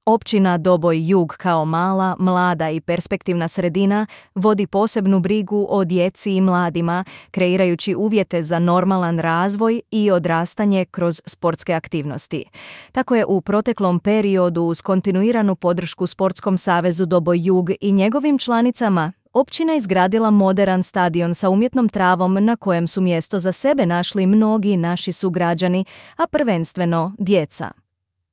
Općina Doboj Jug kao mala, mlada i perspektivna sredina vodi posebnu brigu o djeci i mladima, kreirajući uvjete za normalan razvoj i odrastanje kroz sportske aktivnosti. Tako je u proteklom periodu uz kontinuiranu podršku Sportskom savezu Doboj Jug i njegovim članicama općina izgradila moderan stadion sa umjetnom travom na kojem su mjesto za sebe našli mnogi naši sugrađani, a prvenstveno djeca.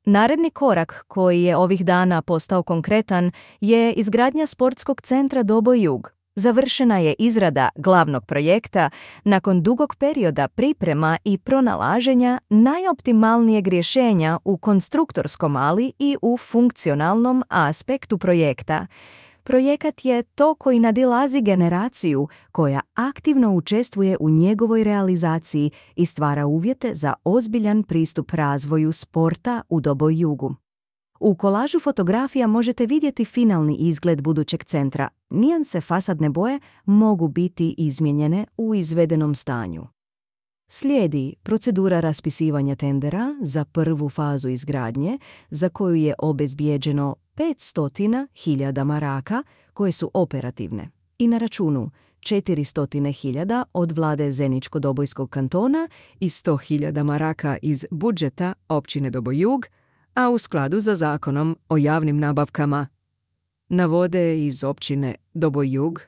Naredni korak koji je ovih dana postao konkretan je izgradnja sportskog centra Doboj Jug. Završena je izrada glavnog projekta nakon dugog perioda priprema i pronalaženja najoptimalnijeg rješenja u konstruktorskom, ali i u funkcionalnom aspektu projekta. Projekat je to koji nadilazi generaciju koja aktivno učestvuje u njegovoj realizaciji i stvara uvjete za ozbiljan pristup razvoju sporta u Doboj Jugu. U kolažu fotografija možete vidjeti finalni izgled budućeg centra. Nijanse fasadne boje mogu biti izmijenjene u izvedenom stanju. Slijedi procedura raspisivanja tendera za prvu fazu izgradnje, za koju je obezbijeđeno 500.000 maraka koje su operativne i na računu 400.000 od vlade Zeničko-Dobojskog kantona i 100.000 maraka iz budžeta općine Doboj Jug, a u skladu za zakonom o javnim nabavkama. Navode iz općine Doboj Jug